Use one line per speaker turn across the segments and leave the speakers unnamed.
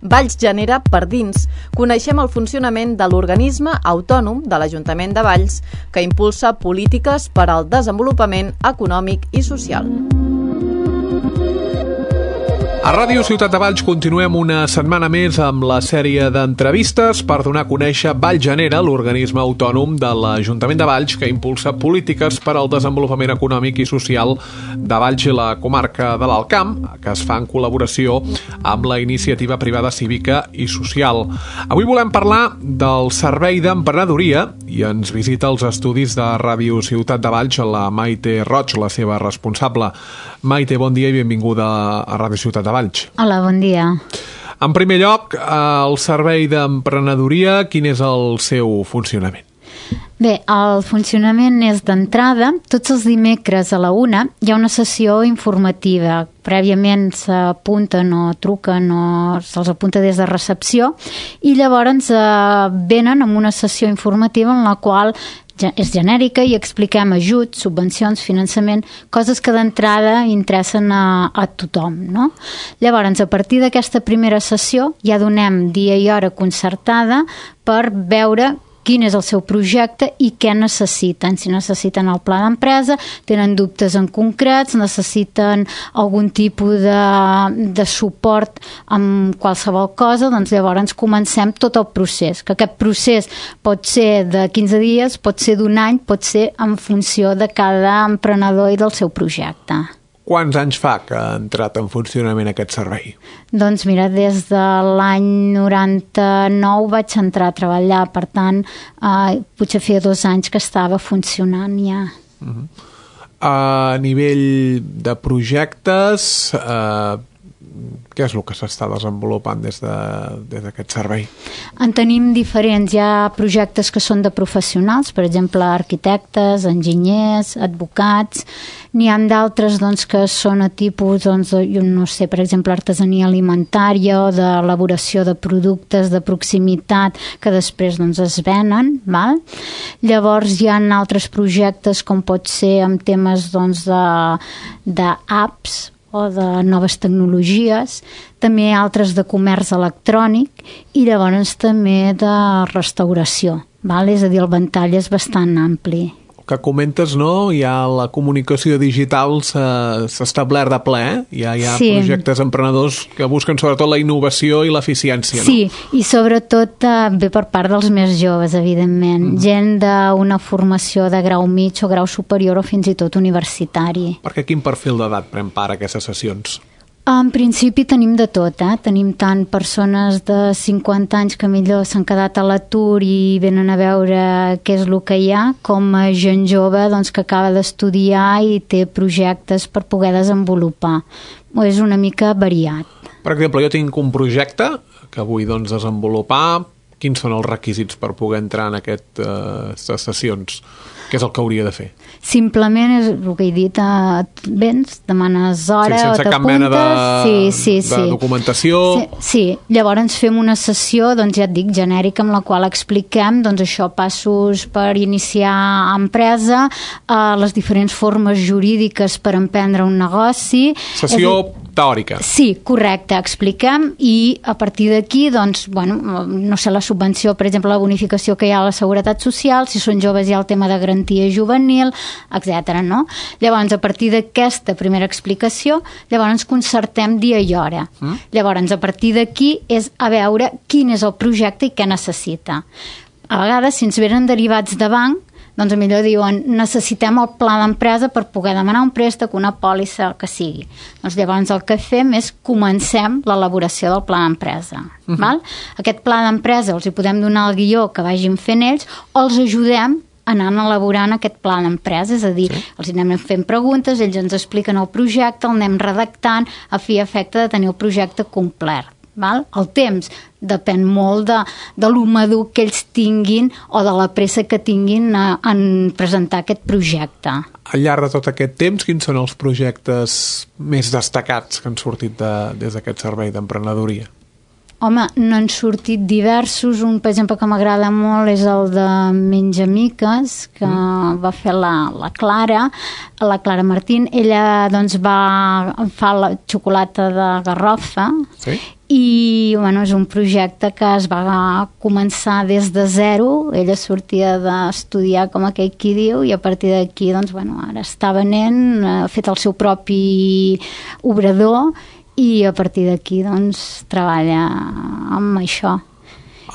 Valls genera per dins. Coneixem el funcionament de l'organisme autònom de l'Ajuntament de Valls que impulsa polítiques per al desenvolupament econòmic i social.
A Ràdio Ciutat de Valls continuem una setmana més amb la sèrie d'entrevistes per donar a conèixer Valls Genera, l'organisme autònom de l'Ajuntament de Valls que impulsa polítiques per al desenvolupament econòmic i social de Valls i la comarca de l'Alt Camp, que es fa en col·laboració amb la iniciativa privada cívica i social. Avui volem parlar del servei d'emprenedoria i ens visita els estudis de Ràdio Ciutat de Valls la Maite Roig, la seva responsable. Maite, bon dia i benvinguda a Ràdio Ciutat de Valls.
Hola, bon dia.
En primer lloc, el servei d'emprenedoria, quin és el seu funcionament?
Bé, el funcionament és d'entrada. Tots els dimecres a la 1 hi ha una sessió informativa. Prèviament s'apunten o truquen o se'ls apunta des de recepció i llavors venen amb una sessió informativa en la qual és genèrica i expliquem ajuts, subvencions, finançament, coses que d'entrada interessen a tothom, no? Llavors, a partir d'aquesta primera sessió ja donem dia i hora concertada per veure quin és el seu projecte i què necessiten. Si necessiten el pla d'empresa, tenen dubtes en concrets, necessiten algun tipus de suport amb qualsevol cosa, doncs llavors comencem tot el procés. Que aquest procés pot ser de 15 dies, pot ser d'un any, pot ser en funció de cada emprenedor i del seu projecte.
Quants anys fa que ha entrat en funcionament aquest servei?
Doncs mira, des de l'any 99 vaig entrar a treballar, per tant, potser feia 2 anys que estava funcionant ja.
A nivell de projectes, què és el que s'està desenvolupant des d'aquest servei?
En tenim diferents. Hi ha projectes que són de professionals, per exemple, arquitectes, enginyers, advocats. N'hi ha d'altres que són a tipus, jo no sé, per exemple, artesania alimentària o d'elaboració de productes de proximitat que després es venen. Val? Llavors hi ha altres projectes com pot ser amb temes d'apps o de noves tecnologies, també altres de comerç electrònic i llavors també de restauració. Val? És a dir, el ventall és bastant ampli.
Que comentes, no? Ja la comunicació digital s'ha establert de ple, hi ha projectes emprenedors que busquen sobretot la innovació i l'eficiència, no?
Sí, i sobretot ve per part dels més joves, evidentment. Gent d'una formació de grau mig o grau superior o fins i tot universitari.
Perquè quin perfil d'edat pren part a aquestes sessions?
En principi tenim de tot, tenim tant persones de 50 anys que millor s'han quedat a l'atur i venen a veure què és el que hi ha, com a gent jove que acaba d'estudiar i té projectes per poder desenvolupar. És una mica variat.
Per exemple, jo tinc un projecte que vull desenvolupar. Quins són els requisits per poder entrar en aquestes sessions? Què és el que hauria de fer?
Simplement és el que he dit, vens, demanes hora o t'apuntes.
Sense cap mena de documentació.
Sí, llavors fem una sessió, ja et dic, genèrica, amb la qual expliquem això, passos per iniciar empresa, les diferents formes jurídiques per emprendre un negoci.
Sessió teòrica.
Sí, correcte, expliquem i a partir d'aquí, no sé, la subvenció, per exemple, la bonificació que hi ha a la Seguretat Social, si són joves hi ha el tema de garantia juvenil, etc. No? Llavors, a partir d'aquesta primera explicació, llavors concertem dia i hora. Llavors, a partir d'aquí és a veure quin és el projecte i què necessita. A vegades, si ens venen derivats de banc, millor diuen, necessitem el pla d'empresa per poder demanar un préstec, una pòlissa, que sigui. Llavors el que fem és comencem l'elaboració del pla d'empresa. Val? Aquest pla d'empresa els hi podem donar el guió que vagin fent ells o els ajudem anant elaborant aquest pla d'empresa, és a dir, els anem fent preguntes, ells ens expliquen el projecte, el anem redactant a fi i efecte de tenir el projecte complet. Val? El temps depèn molt de lo madur que ells tinguin o de la pressa que tinguin en presentar aquest projecte.
Al llarg de tot aquest temps, quins són els projectes més destacats que han sortit des d'aquest servei d'emprenedoria?
Home, n'han sortit diversos. Un, per exemple, que m'agrada molt és el de Menjamiques, que va fer la Clara Martín. Ella doncs fa la xocolata de garrofa. Sí. I bueno, és un projecte que es va començar des de zero. Ella sortia d'estudiar, com aquell qui diu, i a partir d'aquí doncs, bueno, ara està venent, ha fet el seu propi obrador i a partir d'aquí doncs, treballa amb això.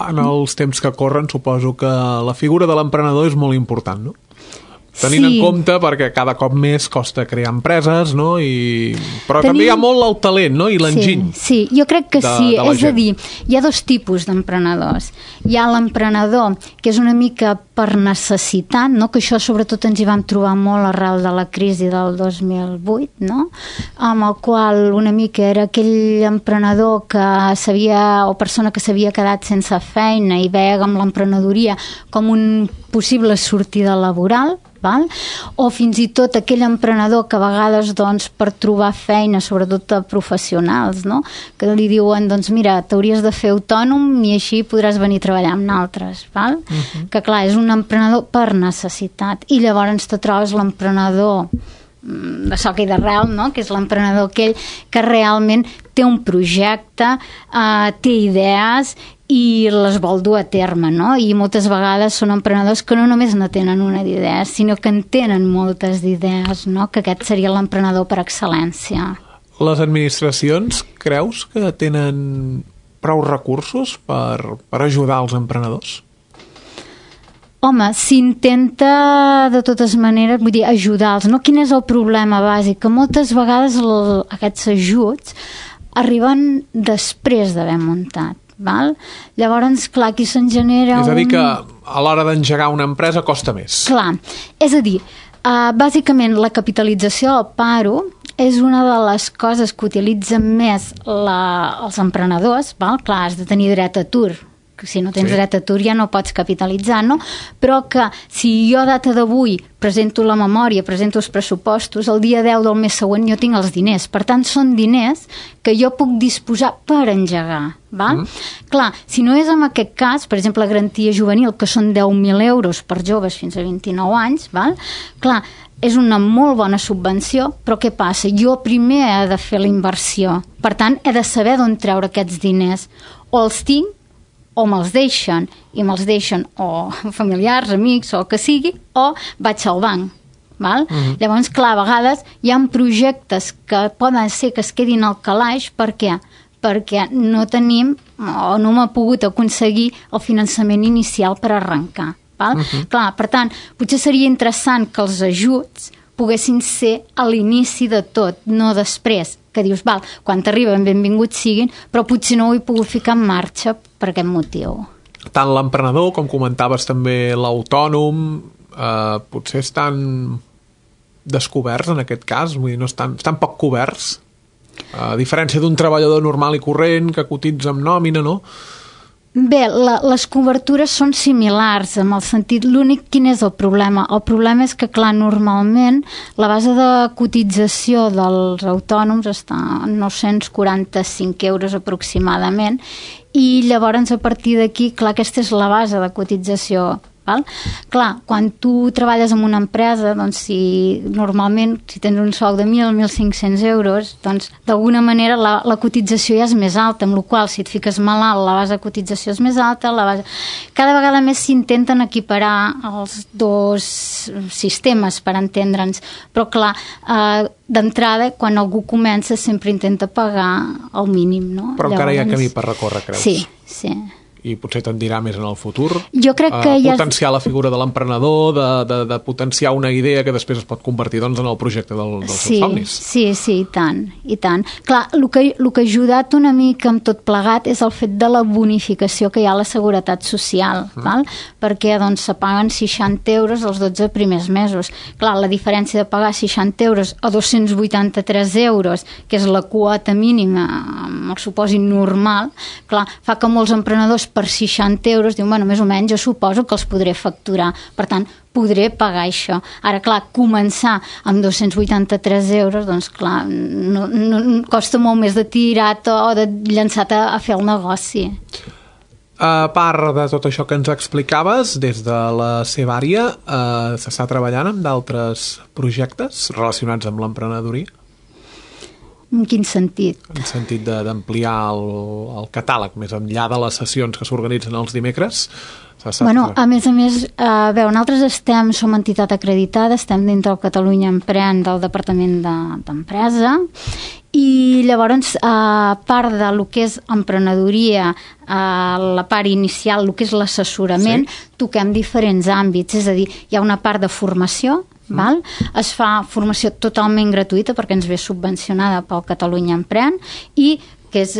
En els temps que corren suposo que la figura de l'emprenedor és molt important, no? Tenint en compte perquè cada cop més costa crear empreses, no? Però també hi ha molt el talent, no? I l'enginy.
Sí, jo crec que sí. És a dir, hi ha dos tipus d'emprenedors. Hi ha l'emprenedor que és una mica per necessitat, no? Que això sobretot ens hi vam trobar molt arrel de la crisi del 2008, no? Amb el qual una mica era aquell emprenedor que o persona que s'havia quedat sense feina i veia amb l'emprenedoria com un possible sortida laboral, val? O fins i tot aquell emprenedor que a vegades doncs, per trobar feina, sobretot a professionals, no? Que li diuen, doncs mira, t'hauries de fer autònom i així podràs venir a treballar amb altres, val? Que clar, és un emprenedor per necessitat, i llavors te trobes l'emprenedor de soca i d'arrel, no? Que és l'emprenedor aquell que realment té un projecte, té idees i les vol dur a terme, no? I moltes vegades són emprenedors que no només no tenen una d'idea, sinó que en tenen moltes d'idees, no? Que aquest seria l'emprenedor per excel·lència.
Les administracions creus que tenen prou recursos per ajudar els emprenedors?
Home, s'intenta de totes maneres, vull dir, ajudar-los, no? Quin és el problema bàsic? Que moltes vegades aquests ajuts arriben després d'haver muntat, val? Llavors, clar, aquí se'n genera
És a dir, que a l'hora d'engegar una empresa costa més.
Clar, és a dir, bàsicament la capitalització del paro és una de les coses que utilitzen més els emprenedors, val? Clar, has de tenir dret a atur, que si no tens dret a atur ja no pots capitalitzar, no? Però que si jo a data d'avui presento la memòria, presento els pressupostos, el dia 10 del mes següent jo tinc els diners. Per tant, són diners que jo puc disposar per engegar, val? Clar, si no és en aquest cas, per exemple, la garantia juvenil, que són 10.000 euros per joves fins a 29 anys, val? Clar, és una molt bona subvenció, però què passa? Jo primer he de fer la inversió. Per tant, he de saber d'on treure aquests diners. O els tinc o me'ls deixen, i me'ls deixen o familiars, amics, o que sigui, o vaig al banc. Val? Llavors, clar, a vegades hi ha projectes que poden ser que es quedin al calaix. Per què? Perquè no tenim o no m'ha pogut aconseguir el finançament inicial per arrencar. Val? Clar, per tant, potser seria interessant que els ajuts poguessin ser a l'inici de tot, no després, que dius, val, quan t'arriben benvinguts siguin, però potser no ho he pogut ficar en marxa per aquest motiu.
Tant l'emprenedor, com comentaves també l'autònom, potser estan descoberts en aquest cas, vull dir, no estan poc coberts, a diferència d'un treballador normal i corrent que cotitza amb nòmina, no?
Bé, les cobertures són similars, en el sentit, l'únic, quin és el problema? El problema és que, clar, normalment la base de cotització dels autònoms està en 945 euros aproximadament, i llavors a partir d'aquí, clar, aquesta és la base de cotització. Val? Clar, quan tu treballes en una empresa, doncs normalment si tens un sou de 1.000-1.500 euros, doncs d'alguna manera la cotització ja és més alta, amb la qual si et fiques malalt la base de cotització és més alta, cada vegada més s'intenten equiparar els dos sistemes per entendre'ns, però clar, d'entrada quan algú comença sempre intenta pagar el mínim, no?
Però encara hi ha camí per recórrer, creus?
Sí.
I potser te'n dirà més en el futur.
Jo crec que
potenciar la figura de l'emprenedor, de potenciar una idea que després es pot convertir doncs, en el projecte dels seus somnis.
Sí, i tant. Clar, el que ha ajudat una mica amb tot plegat és el fet de la bonificació que hi ha a la Seguretat Social, val? Perquè doncs, se paguen 60 euros els 12 primers mesos. Clar, la diferència de pagar 60 euros a 283 euros, que és la quota mínima amb el supòsit normal, clar, fa que molts emprenedors per 60 euros diuen, bueno, més o menys jo suposo que els podré facturar, per tant, podré pagar això. Ara, clar, començar amb 283 euros, doncs clar, no costa molt més de tirar-te o de llançar-te a fer el negoci.
A part de tot això que ens explicaves, des de la seva àrea, s'està treballant amb d'altres projectes relacionats amb l'emprenedoria?
En quin sentit?
En sentit d'ampliar el catàleg, més enllà de les sessions que s'organitzen els dimecres?
Bueno, a més, nosaltres som entitat acreditada, estem dintre del Catalunya Emprèn del Departament d'Empresa, i llavors, a part de lo que és emprenedoria, la part inicial, el que és l'assessorament, toquem diferents àmbits, és a dir, hi ha una part de formació, val? Es fa formació totalment gratuïta perquè ens ve subvencionada pel Catalunya Emprèn, i que és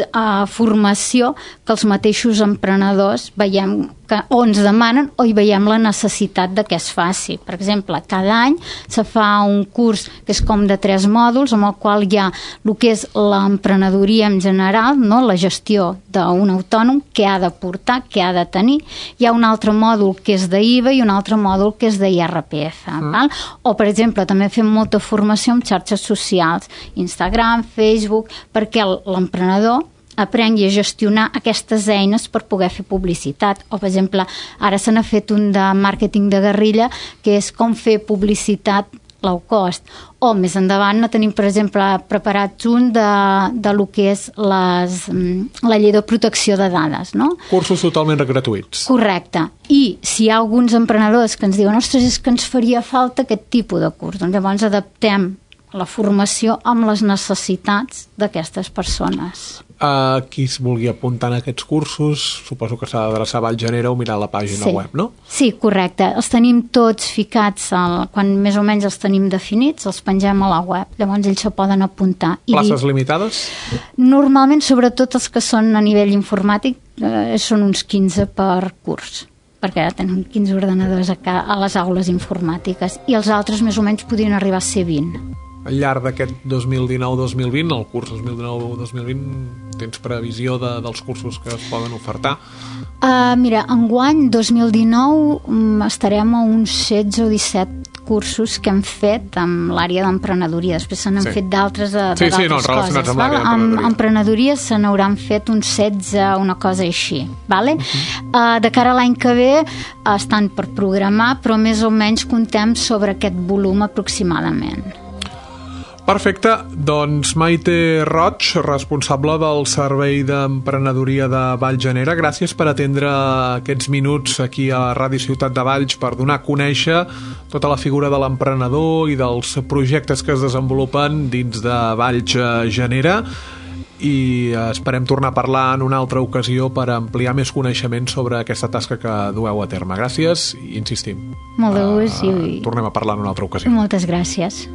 formació que els mateixos emprenedors veiem que o ens demanen o hi veiem la necessitat de que es faci. Per exemple, cada any se fa un curs que és com de 3 mòduls, amb el qual hi ha el que és l'emprenedoria en general, no? La gestió d'un autònom, què ha de portar, què ha de tenir. Hi ha un altre mòdul que és d'IVA i un altre mòdul que és d'IRPF. Val? O, per exemple, també fem molta formació en xarxes socials, Instagram, Facebook, perquè l'emprenedor aprengui a gestionar aquestes eines per poder fer publicitat. O, per exemple, ara se n'ha fet un de màrqueting de guerrilla, que és com fer publicitat low cost. O, més endavant, tenim, per exemple, preparats un de lo que és la llei de protecció de dades, no?
Cursos totalment gratuïts.
Correcte. I si hi ha alguns emprenedors que ens diuen, ostres, és que ens faria falta aquest tipus de curs, doncs llavors adaptem la formació amb les necessitats d'aquestes persones.
Qui es vulgui apuntar en aquests cursos, suposo que s'ha d'adreçar a Vallgenera o mirar la pàgina web, no?
Sí, correcte. Els tenim tots ficats, quan més o menys els tenim definits, els pengem a la web. Llavors ells se poden apuntar.
Places limitades?
Normalment, sobretot els que són a nivell informàtic, són uns 15 per curs, perquè ara tenim 15 ordenadors a les aules informàtiques, i els altres més o menys podrien arribar a ser 20.
Al llarg d'aquest 2019-2020, el curs 2019-2020, tens previsió dels cursos que es poden ofertar?
Mira, enguany, 2019, estarem a uns 16 o 17 cursos que hem fet amb l'àrea d'emprenedoria. Després se n'han fet d'altres coses.
Relacionats amb l'àrea d'emprenedoria.
Amb emprenedoria se n'hauran fet uns 16, una cosa així. Vale? De cara a l'any que ve estan per programar, però més o menys contem sobre aquest volum aproximadament.
Perfecte, doncs Maite Roig, responsable del Servei d'Emprenedoria de Vallgenera, gràcies per atendre aquests minuts aquí a Ràdio Ciutat de Valls per donar a conèixer tota la figura de l'emprenedor i dels projectes que es desenvolupen dins de Vallgenera, i esperem tornar a parlar en una altra ocasió per ampliar més coneixement sobre aquesta tasca que dueu a terme. Gràcies i insistim.
Molt de gust.
Tornem a parlar en una altra ocasió.
Moltes gràcies.